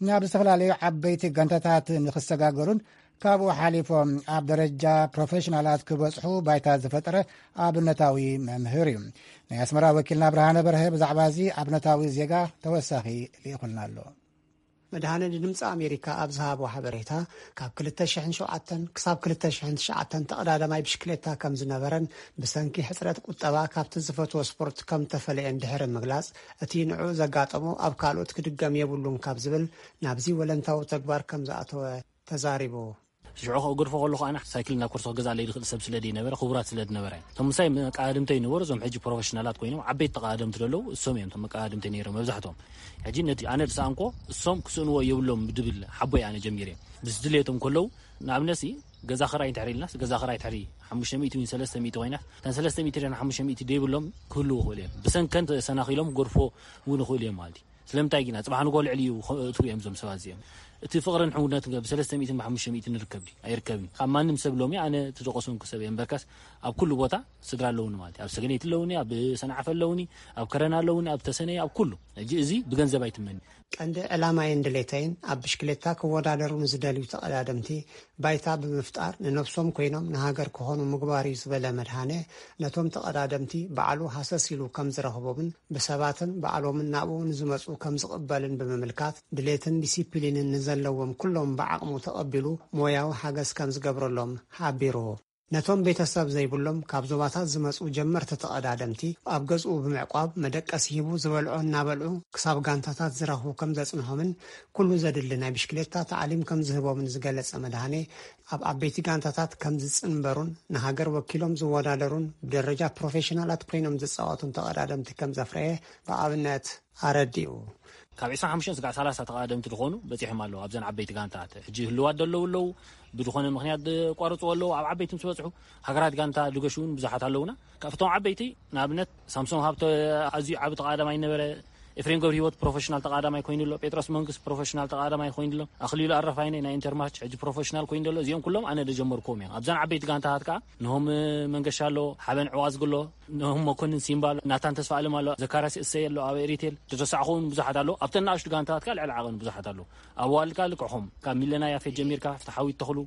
ናብ ዝተፈላለዩ ዓበይቲ ጋንታታት ንኽሰጋገሩን ካብኡ ሓሊፎም ኣብ ደረጃ ፕሮፌሽናላት ክበጽሑ ባይታ ዝፈጠረ ኣብነታዊ መምህር እዩ። ናይ ኣስመራ ወኪልና ብርሃነ በርሀ ብዛዕባ እዚ ኣብነታዊ ዜጋ ተወሳኺ ልኢኹልና ኣሎ። መድሃነ ንድምፂ ኣሜሪካ ኣብ ዝሃቦ ሓበሬታ፣ ካብ ክልተ ሽሕን ሸውዓተን ክሳብ ክልተ ሽሕን ትሽዓተን ተቐዳዳማይ ብሽክሌታ ከም ዝነበረን ብሰንኪ ሕፅረት ቁጠባ ካብቲ ዝፈትዎ ስፖርት ከም ተፈለየን ድሕሪ ምግላፅ፣ እቲ ንዕኡ ዘጋጠሞ ኣብ ካልኦት ክድገም የብሉን ካብ ዝብል ናብዚ ወለንታዊ ተግባር ከም ዝኣተወ ተዛሪቡ። ሽዑ ከእገድፎ ከለኹ ኣነ ሳይክል ናብ ኮርሶ ክገዝኣለይ ዝኽእል ሰብ ስለ ዘይነበረ፣ ክቡራት ስለ ዝነበረ፣ እቶም ምሳይ መቃድምተይ ነበሩ። እዞም ሕጂ ፕሮፌሽናላት ኮይኖም ዓበይቲ ተቃደምቲ ዘለዉ እሶም እዮም እቶም መቃድምተይ ነይሮም መብዛሕትኦም። ሕጂ ነቲ ኣነ ዝሰኣንኮ እሶም ክስእንዎ የብሎም ብድብል ሓቦይ ኣነ ጀሚረ። ምስ ድሌቶም ከለዉ ንኣብነት ሲ ገዛ ክራይ እንድሕር ኢልናስ፣ ገዛ ክራይ ድሕሪ ሓሙሽተ ሚእቲ ወይ ሰለስተ ሚእቲ ኮይና፣ እተን ሰለስተ ሚእቲ ድሕሪ ሓሙሽተ ሚእቲ ደይብሎም ክህልዉ ይኽእሉ እዮም። ብሰንከን ተሰናኺሎም ክገድፎ እውን ይኽእሉ እዮም ማለት እዩ። ስለምንታይ ግና ጽባሕ ንግሆ ልዕሊ እዩ እትው እዮም እዞም ሰባት እዚኦም። እቲ ፍቕርን ሕውነትን ከ ብሰለስተ ሚእትን ብሓሙሽተ ሚእትን ንርከብ ድዩ? ኣይርከብን። ካብ ማንም ሰብ ሎሚ ኣነ እቲ ዝቐሰንኩ ሰብ እየ እምበርካስ ኣብ ኩሉ ቦታ ስድራ ኣለውኒ ማለት እዩ። ኣብ ሰገነይቲ ኣለውኒ፣ ኣብ ሰንዓፈ ኣለውኒ፣ ኣብ ከረና ኣለውኒ፣ ኣብ ተሰነይ፣ ኣብ ኩሉ። ሕጂ እዚ ብገንዘብ ኣይትመን። ቀንዲ ዕላማይን ድሌተይን ኣብ ብሽክሌታ ክወዳደሩ ንዝደልዩ ተቐዳደምቲ ባይታ ብምፍጣር ንነብሶም ኮይኖም ንሃገር ክኾኑ ምግባር እዩ ዝበለ መድሃነ፣ ነቶም ተቐዳደምቲ ባዕሉ ሃሰስ ኢሉ ከም ዝረኽቦምን ብሰባትን ባዕሎምን ናብኡ ንዝመጹ ከም ዝቕበልን ብምምልካት ድሌትን ዲሲፕሊንን ንዘለዎም ኩሎም ብዓቕሙ ተቐቢሉ ሞያዊ ሓገዝ ከም ዝገብረሎም ሓቢሩ። ነቶም ቤተሰብ ዘይብሎም ካብ ዞባታት ዝመጹ ጀመርቲ ተቐዳደምቲ ኣብ ገዝኡ ብምዕቋብ መደቀሲ ሂቡ ዝበልዖ እናበልዑ ክሳብ ጋንታታት ዝረኽቡ ከም ዘጽንሖምን ኩሉ ዘድሊ ናይ ብሽክሌታ ታዕሊም ከም ዝህቦምን ዝገለጸ መድሃኔ፣ ኣብ ዓበይቲ ጋንታታት ከም ዝጽንበሩን ንሃገር ወኪሎም ዝወዳደሩን ብደረጃ ፕሮፌሽናላት ኮይኖም ዝጻወቱን ተቐዳደምቲ ከም ዘፍረየ ብኣብነት ኣረዲኡ። ካብ ዕስራን ሓሙሽተን ስጋዕ ሰላሳ ተቐዳደምቲ ዝኾኑ በጺሖም ኣለዉ። ኣብዘን ዓበይቲ ጋንታት ሕጂ ህልዋት ዘለዉ ኣለዉ፣ ብዝኾነ ምኽንያት ዝቋረጹ ኣለዉ። ኣብ ዓበይቲ ምስ በጽሑ ሃገራት ጋንታ ዝገሹ እውን ብዙሓት ኣለዉና። ካብቶም ዓበይቲ ንኣብነት ሳምሶም ሃብተ ኣዝዩ ዓቢ ተቐዳዳማይ ነበረ። ኤፍሬም ገብረ ህይወት ፕሮፌሽናል ተቐዳዳማይ ኮይኑ ኣሎ። ጴጥሮስ መንግስት ፕሮፌሽናል ተቐዳዳማይ ኮይኑ ኣሎ። ኣኽሊሉ ኣረፋይነ ናይ ኢንተርማች ሕጂ ፕሮፌሽናል ኮይኑ ኣሎ። እዚኦም ኩሎም ኣነ ዝጀመርኩዎም እዮም። ኣብዘን ዓበይቲ ጋንታታት ከኣ ንሆም መንገሻ ኣሎ፣ ሓበን ዕዋዝጊ ኣሎ፣ ንሆም መኮንን ሲምባ ኣሎ፣ ናታን ተስፋ ኣለም ኣሎ፣ ዘካርያስ እሰይ ኣሎ፣ ኣብ ኤሪቴል ዝረሳዕኹ እውን ብዙሓት ኣለዉ። ኣብተን ንኣሽቱ ጋንታታት ከኣ ልዕሊ ዓቐን ብዙሓት ኣለዉ። ኣብ ኣዋልድ ከኣ ልክዕኹም ካብ ሚለና ያፌት ጀሚርካ ፍትሓዊት ተኽሉ፣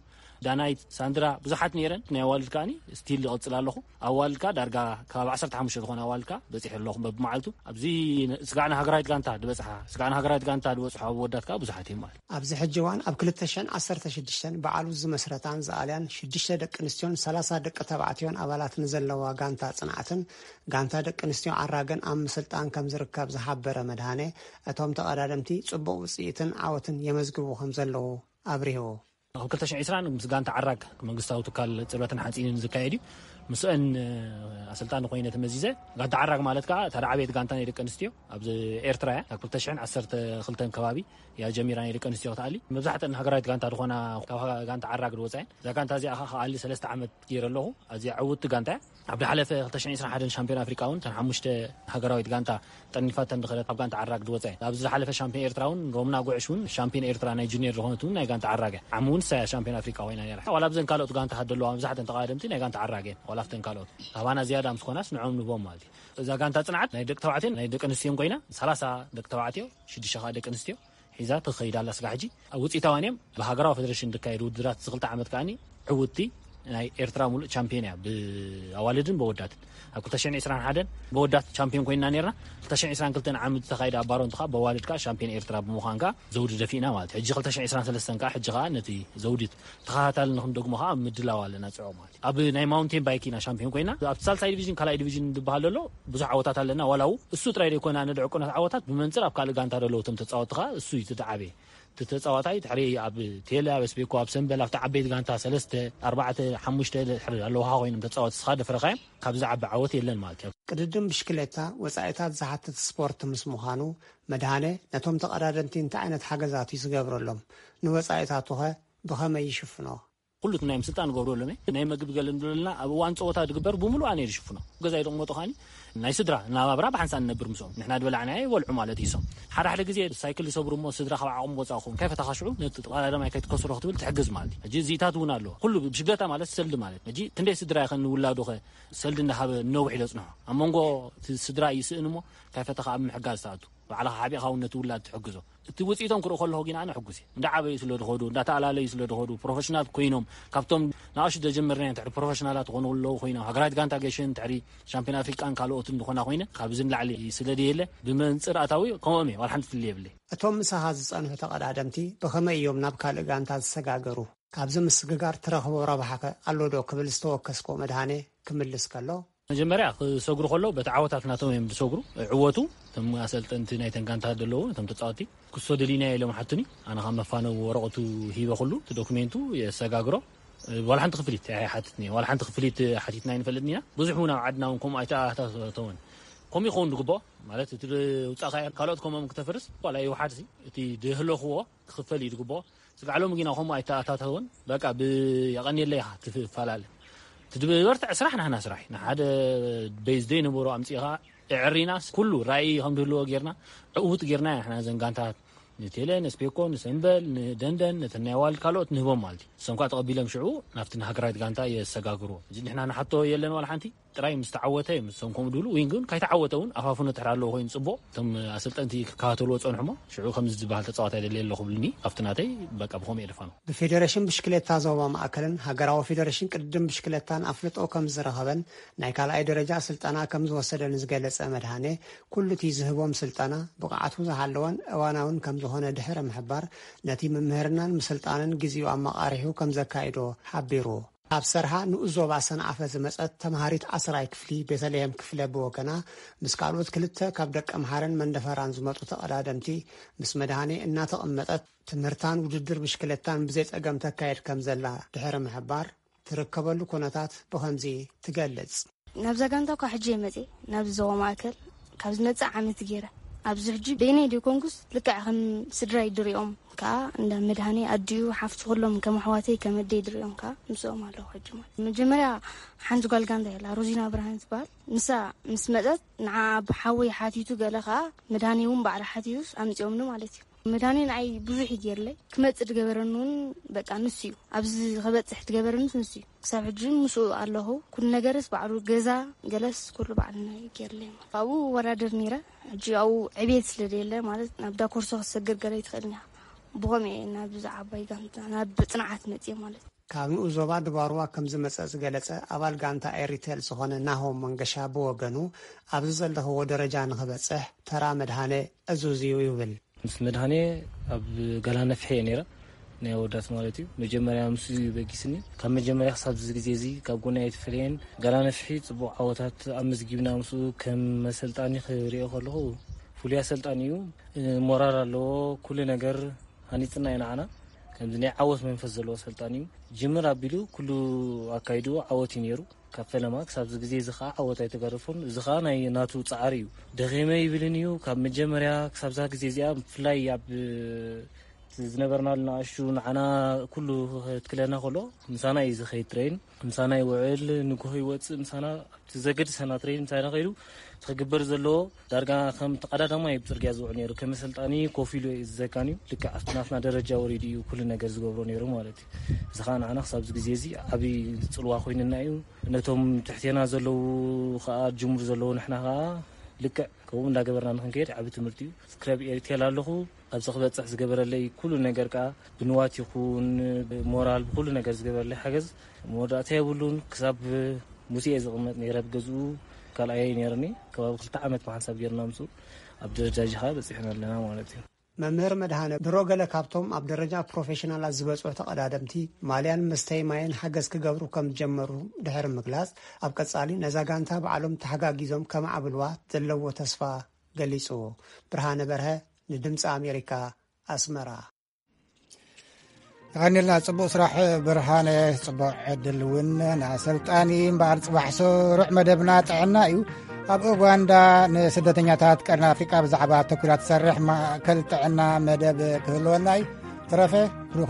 ዳናይት፣ ሳንድራ ብዙሓት ነይረን። ናይ ኣዋልድ ከኣኒ ስቲል ይቕጽል ኣለኹ። ኣዋልድ ከኣ ዳርጋ ካብ ዓሰርተ ሓሙሽተ ዝኾነ ኣዋልድ ከኣ በጺሐ ኣለኹ በብመዓልቱ። ኣብዚ ስጋዕ ንሃገራዊት ጋንታ ዝበጽሓ፣ ስጋዕ ንሃገራዊት ጋንታ ዝበጽሑ ኣወዳት ከኣ ብዙሓት እዮም ማለት። ኣብዚ ሕጂ እዋን ኣብ ክልተ ሽሕን ዓሰርተ ሽዱሽተን በዓሉ ዝመስረታን ዝኣልያን ሽዱሽተ ደቂ ኣንስትዮን ሰላሳ ደቂ ተባዕትዮን ኣባላት ንዘለዋ ጋንታ ጽንዓትን ጋንታ ደቂ ኣንስትዮ ዓራገን ኣብ ምስልጣን ከም ዝርከብ ዝሓበረ መድሃኔ፣ እቶም ተቐዳደምቲ ጽቡቕ ውጽኢትን ዓወትን የመዝግቡ ከም ዘለዉ ኣብሪሁ። ኣብ ክልተ ሽሕን ዕስራን ምስ ጋንታ ዓራግ መንግስታዊ ትካል ጽርበትን ሓጺንን ዝካየድ እዩ። ምስአን ኣሰልጣኒ ኮይነ ተመዚዘ። ጋንታ ዓራግ ማለት ከኣ እታ ዝዓበየት ጋንታ ናይ ደቂ ኣንስትዮ ኣብዚ ኤርትራ እያ። ካብ ክልተ ሽሕን ዓሰርተ ክልተን ከባቢ እያ ጀሚራ ናይ ደቂ ኣንስትዮ ክትኣሊ። መብዛሕትአን ሃገራዊት ጋንታ ዝኾና ካብ ጋንታ ዓራግ ዝወጻ እየን። እዛ ጋንታ እዚኣ ከኣ ክኣሊ ሰለስተ ዓመት ገይረ ኣለኹ። ኣዝያ ዕውትቲ ጋንታ እያ። ኣብ ዝሓለፈ ክልተ ሽሕን ዕስራን ሓደን ሻምፒዮን ኣፍሪቃ እውን እተን ሓሙሽተ ሃገራዊት ጋንታ ጠርኒፋተን ዝኸደት ኣብ ጋንታ ዓራግ ዝወጻ እየን። ኣብዚ ዝሓለፈ ሻምፒዮን ኤርትራ እውን ሮምና ጉዕሽ እውን ሻምፒዮን ኤርትራ ናይ ጁኒየር ዝኾነት እውን ናይ ጋንታ ዓራግ እያ። ዓሚ እውን ንሳ እያ ሻምፒዮን ኣፍሪቃ ኮይና ነይራ። ዋላ ኣብዘን ካልኦት ጋንታ ሃደለዋ መብዛሕተን ተቐዳደምቲ ናይ ጋንታ ዓራግ እየን። ዋላ ኣብተን ካልኦት ካባና ዝያዳ ምስ ኮናስ ንዕኦም ንህቦም ማለት እዩ። እዛ ጋንታ ጽንዓት ናይ ደቂ ተባዕትዮን ናይ ደቂ ኣንስትዮን ኮይና ሰላሳ ደቂ ተባዕትዮ፣ ሽዱሽተ ከኣ ደቂ ኣንስትዮ ሒዛ ትኸይድ ኣላ ስጋዕ ሕጂ። ኣብ ውጽኢታውያን እዮም። ብሃገራዊ ፌደሬሽን ዝካየዱ ውድድራት እዚ ክልተ ዓመት ከኣኒ ዕውትቲ ናይ ኤርትራ ሙሉእ ቻምፒዮን እያ፣ ብኣዋልድን በወዳትን። ኣብ ክልተ ሽሕን ዕስራን ሓደን በወዳት ቻምፒዮን ኮይንና ነይርና። ክልተ ሽሕን ዕስራን ክልተን ዓመት ዝተኻየደ ኣብ ባሮንት ከኣ በዋልድ ከኣ ሻምፒዮን ኤርትራ ብምዃን ከኣ ዘውዲ ደፊእና ማለት እዩ። ሕጂ ክልተ ሽሕን ዕስራን ሰለስተን ከኣ ሕጂ ከኣ ነቲ ዘውዲ ተኸታታሊ ንኽንደግሞ ከኣ ኣብ ምድላው ኣለና ጽዑቕ ማለት እዩ። ኣብ ናይ ማውንቴን ባይክ ኢና ሻምፒዮን ኮይና። ኣብቲ ሳልሳይ ዲቪዥን ካልኣይ ዲቪዥን ዝበሃል ዘሎ ብዙሕ ዓወታት ኣለና። ዋላ ው እሱ ጥራይ ዘይኮነ ኣነ ድዕቁናት ዓወታት ብመንጽር ኣብ ካልእ ጋንታ ዘለዉ እቶም ተጻወትቲ ከኣ እሱ እዩ እቲ ዝዓበየ። እቲ ተጻዋታይ ድሕሪ ኣብ ቴለ፣ ኣብ ስቤኮ፣ ኣብ ሰምበል፣ ኣብቲ ዓበይቲ ጋንታ ሰለስተ፣ ኣርባዕተ፣ ሓሙሽተ ድሕሪ ኣለውኻ ኮይኖም ተጻወትቲ እስኻ ደፍረኻዮም ካብ ዝዓቢ ዓወት የለን ማለት እዩ። ቅድድም ብሽክሌታ ወጻኢታት ዝሓትት ስፖርት ምስ ምዃኑ፣ መድሃነ ነቶም ተቐዳደምቲ እንታይ ዓይነት ሓገዛት እዩ ዝገብረሎም? ንወጻኢታቱኸ ብኸመይ ይሽፍኖ? ኩሉ ናይ ምስልጣን ንገብሮ ኣለና። ናይ መግቢ ገለ ንብለልና ኣብ እዋን ፀወታ ድግበር ብምሉእ ኣነ ዝሽፍኖ። ገዛይ ደቕመጦ ኻኒ ናይ ስድራ ናባብራ ብሓንሳብ ንነብር ምስኦም። ንሕና ድበላዕና ይበልዑ ማለት እዩ። ሶም ሓደ ሓደ ግዜ ሳይክል ዝሰብሩ እሞ ስድራ ካብ ዓቕሙ ወፃእ ክኸውን ካይፈታኻ ሽዑ ነቲ ቀዳዳማይ ከይትከስሮ ክትብል ትሕግዝ ማለት እዩ። ሕጂ እዚታት እውን ኣለዎ። ኩሉ ብሽግለታ ማለት ሰልዲ ማለት ሕጂ ክንደይ ስድራ ይኸን ንውላዱ ኸ ሰልዲ እንዳሃበ ነዊሕ ኢሎ ፅንሖ ኣብ መንጎ እቲ ስድራ ይስእን እሞ ካይፈታኻ ኣብ ምሕጋዝ ተኣቱ። ባዕልኻ ሓቢእኻ እውን ነቲ ውላድ ትሕግዞ። እቲ ውፅኢቶም ክርኢ ከለኹ ግን ኣነ ሕጉስ እየ። እንዳዓበዩ ስለ ድኸዱ እንዳተኣላለዩ ስለ ድኸዱ ፕሮፌሽናል ኮይኖም ካብቶም ንኣሹ ደጀመርና ትሕሪ ፕሮፌሽናላት ዝኾኑ ኣለዉ ኮይኖም ሃገራት ጋንታ ገሽን ትሕሪ ሻምፒዮን ኣፍሪቃን ካልኦትን ዝኾና ኮይነ ካብዚ ንላዕሊ ስለ ድየለ ብመንፅር ኣታዊ ከምኦም እየ ዋላ ሓንቲ ፍልይ የብለይ። እቶም ምሳኻ ዝጸንሑ ተቐዳደምቲ ብኸመይ እዮም ናብ ካልእ ጋንታ ዝሰጋገሩ? ካብዚ ምስግጋር ትረኽቦ ረብሓኸ ኣሎ ዶ ክብል ዝተወከስክዎ መድሃኔ ክምልስ ከሎ፣ መጀመርያ ክሰግሩ ከሎ በቲ ዓወታት ናቶም እዮም ዝሰግሩ። ዕወቱ እቶም ኣሰልጠንቲ ናይተን ጋንታ ዘለዉ እቶም ተጻወቲ ክሶ ደሊና ኢሎም ሓቱኒ። ኣነ ካብ መፋነው ወረቐቱ ሂበ ኩሉ እቲ ዶክሜንቱ የሰጋግሮ። ዋላ ሓንቲ ክፍሊት ኣይሓትትኒ ዋላ ሓንቲ ክፍሊት ሓቲትና ኣይንፈልጥን ኢና። ብዙሕ እውን ኣብ ዓድና እውን ከምኡ ኣይተኣታተወን። ከምኡ ይኸውን ዝግብኦ ማለት እቲ ውፃእ ካልኦት ከምኦም ክተፍርስ ዋላ ይውሓድ እቲ ድህለኽዎ ክኽፈል እዩ ዝግብኦ። ስጋዕ ሎሚ ግና ከምኡ ኣይተኣታተውን። በቃ ብየቐንየለይ ኢኻ ትፈላለ። ትድበርትዕ ስራሕ ናህና ስራሕ እዩ። ንሓደ ቤዝ ዘይነበሮ ኣምፂእኻ እዕሪናስ ኩሉ ራእይ ከም ዝህልዎ ጌርና ዕውት ጌርና ኢና ንሕና ዘን ጋንታት ንቴለ ንስፔኮ ንሰምበል ንደንደን ነተን ናይ ዋልድ ካልኦት ንህቦም ማለት እዩ። እሶም ከዓ ተቐቢሎም ሽዑ ናብቲ ንሃገራዊት ጋንታ የሰጋግርዎ። እዚ ንሕና ንሓቶ የለን ዋላ ሓንቲ ጥራይ ምስ ተዓወተ እዮም እሶም ከምኡ ድብሉ። ዊን ግን ካይተዓወተ እውን ኣፋፍኖ ትሕር ኣለዎ ኮይኑ ፅቡቕ እቶም ኣሰልጠንቲ ክከታተልዎ ፀንሑሞ ሽዑ ከምዚ ዝበሃል ተፃዋታይ ደልየ ኣለኹ ብልኒ ኣብቲ ናተይ በቃ ብኸምኡ የደፋኖ። ብፌዴሬሽን ብሽክሌታ ዞባ ማእከልን ሃገራዊ ፌዴሬሽን ቅድድም ብሽክሌታን ኣፍልጦ ከም ዝረኸበን ናይ ካልኣይ ደረጃ ስልጠና ከም ዝወሰደን ዝገለጸ መድሃኔ፣ ኩሉ እቲ ዝህቦም ስልጠና ብቕዓቱ ዝሃለወን እዋናውን ከም ዝኾነ ድሕሪ ምሕባር፣ ነቲ ምምህርናን ምስልጣንን ግዜኡ ኣመቓሪሑ ከም ዘካይዶ ሓቢሩ። ኣብ ሰርሃ ንኡስ ዞባ ሰንዓፈ ዝመጸት ተምሃሪት ዓስራይ ክፍሊ ቤተልሔም ክፍለ ብወገና፣ ምስ ካልኦት ክልተ ካብ ደቀምሓረን መንደፈራን ዝመጹ ተቐዳደምቲ፣ ምስ መድሃኔ እናተቐመጠት፣ ትምህርታን ውድድር ብሽክለታን ብዘይ ጸገም ተካየድ ከም ዘላ ድሕሪ ምሕባር፣ ትርከበሉ ኩነታት ብኸምዚ ትገልጽ። ናብዛ ጋንታ እኳ ሕጂ እየ መጽየ፣ ናብዚ ዞባ ማእከል ካብ ዝመጽእ ዓመት ገይረ። ኣብዚ ሕጂ በይነይ ደይኮንኩስ ልክዕ ከም ስድራይ ድሪኦም፣ ከኣ እንዳ መድሃኔ ኣዲኡ ሓፍቱ ኩሎም ከም ኣሕዋተይ ከም ኣደይ ድሪኦም ከኣ ምስኦም ኣለኹ ሕጂ ማለት። መጀመርያ ሓንቲ ጓል ጋንታ የላ፣ ሮዚና ብርሃን ትበሃል። ንሳ ምስ መጸት ንዓ ብሓወይ ሓቲቱ ገለ ከኣ መድሃኔ እውን ባዕላ ሓቲቱስ ኣምጺኦምኒ ማለት እዩ። መድሃኔ ንዓይ ብዙሕ እዩ ገይርለይ። ክመጽእ ዝገበረኒ እውን በቃ ንሱ እዩ። ኣብዚ ክበጽሕ ዝገበረኒስ ንሱ እዩ። ክሳብ ሕጂ ምስኡ ኣለኹ። ኩሉ ነገርስ ባዕሉ፣ ገዛ ገለስ ኩሉ ባዕልና እዩ ገይርለይ። ኣብኡ እወዳደር ነይረ። ሕጂ ኣብኡ ዕቤት ስለ ዘየለ ማለት ናብ ዳኮርሶ ክትሰግር ገለ ኣይትኽእልን ኢኻ። ብኸምኡ እየ ናብዚ ዓባይ ጋንታ ናብ ጽንዓት መጽየ ማለት እዩ። ካብ ንኡስ ዞባ ድባርዋ ከም ዝመጸ ዝገለጸ ኣባል ጋንታ ኤሪቴል ዝኾነ ናሆም መንገሻ ብወገኑ፣ ኣብዚ ዘለኽዎ ደረጃ ንኽበጽሕ ተራ መድሃኔ ዕዙዝ እዩ ይብል። ምስ መድሃኔ ኣብ ጋላ ነፍሒ እየ ነይረ፣ ናይ ኣወዳት ማለት እዩ። መጀመርያ ምስ እዩ በጊስኒ። ካብ መጀመርያ ክሳብ እዚ ግዜ እዚ ካብ ጎኒ ኣይተፈለየን። ጋላ ነፍሒ ጽቡቕ ዓወታት ኣመዝጊብና ምስኡ ከም መሰልጣኒ ክሪኦ ከለኹ ፍሉይ ኣሰልጣኒ እዩ። እ፣ ሞራል ኣለዎ። ኩሉ ነገር ሃኒጽና እዩ ንዓና። ከምዚ ናይ ዓወት መንፈስ ዘለዎ ኣሰልጣኒ እዩ። ጅምር ኣቢሉ ኩሉ ኣካይድኡ ዓወት እዩ ነይሩ። ካብ ፈለማ ክሳብ እዚ ግዜ እዚ ኸዓ ዓወት ኣይተገረፎን። እዚ ኸዓ ናይ ናቱ ጻዕሪ እዩ። ደኺመ ይብልን እዩ። ካብ መጀመርያ ክሳብ እዛ ግዜ እዚኣ ብፍላይ ኣብ ዝነበርናሉ ንኣሽቱ ንዓና ኩሉ ክትክለና ከሎ ምሳና እዩ ዝኸይድ ትሬን። ምሳና ይውዕል፣ ንግሆ ይወጽእ ምሳና ኣብቲ ዘገድሰና ትሬን ምሳና ከይዱ እቲ ክግበር ዘለዎ ዳርጋ ከም ተቐዳዳማይ እዩ ብጽርግያ ዝውዕል ነይሩ። ከም ኣሰልጣኒ ኮፍ ኢሉ እዩ ዝዘካን እዩ። ልክዕ ኣብቲ ናትና ደረጃ ወሪዱ እዩ ኩሉ ነገር ዝገብሮ ነይሩ ማለት እዩ። እዚ ኸዓ ንዓና ክሳብ እዚ ግዜ እዚ ዓብዪ ጽልዋ ኮይኑና እዩ። ነቶም ትሕቴና ዘለዉ ኸዓ ጅምሩ ዘለዉ ንሕና ኸዓ ልክዕ ከምኡ እንዳገበርና ንክንከይድ ዓቢ ትምህርቲ እዩ። ክለብ ኤሪቴል ኣለኹ። ኣብዚ ክበጽሕ ዝገበረለይ ኩሉ ነገር ከኣ ብንዋት ይኹን ብሞራል ብኩሉ ነገር ዝገበረለይ ሓገዝ መወዳእታ የብሉን። ክሳብ ሙሴ እየ ዝቕመጥ ነይረ ብገዝኡ ካልኣየ ነይርኒ። ከባቢ ክልተ ዓመት ብሓንሳብ ጌርና ምስኡ ኣብ ደረጃ ጂ ኸኣ በጺሕና ኣለና ማለት እዩ። መምህር መድሃነ ድሮ ገለ ካብቶም ኣብ ደረጃ ፕሮፌሽናላት ዝበጽሑ ተቐዳደምቲ ማልያን መስተይ ማይን ሓገዝ ክገብሩ ከም ዝጀመሩ ድሕሪ ምግላጽ፣ ኣብ ቀጻሊ ነዛ ጋንታ ባዕሎም ተሓጋጊዞም ከማዕብልዋ ዘለዎ ተስፋ ገሊጹ። ብርሃነ በርሀ ንድምጺ ኣሜሪካ፣ ኣስመራ። የቐንየልና፣ ጽቡቕ ስራሕ ብርሃነ፣ ጽቡቕ ዕድል እውን ንኣሰልጣኒ። እምበኣር ጽባሕ ስሩዕ መደብና ጥዕና እዩ። ኣብ ኡጋንዳ ንስደተኛታት ቀርኒ ኣፍሪቃ ብዛዕባ ኣተኲራ ትሰርሕ ማእከል ጥዕና መደብ ክህልወና እዩ። ተረፈ ብሩኽ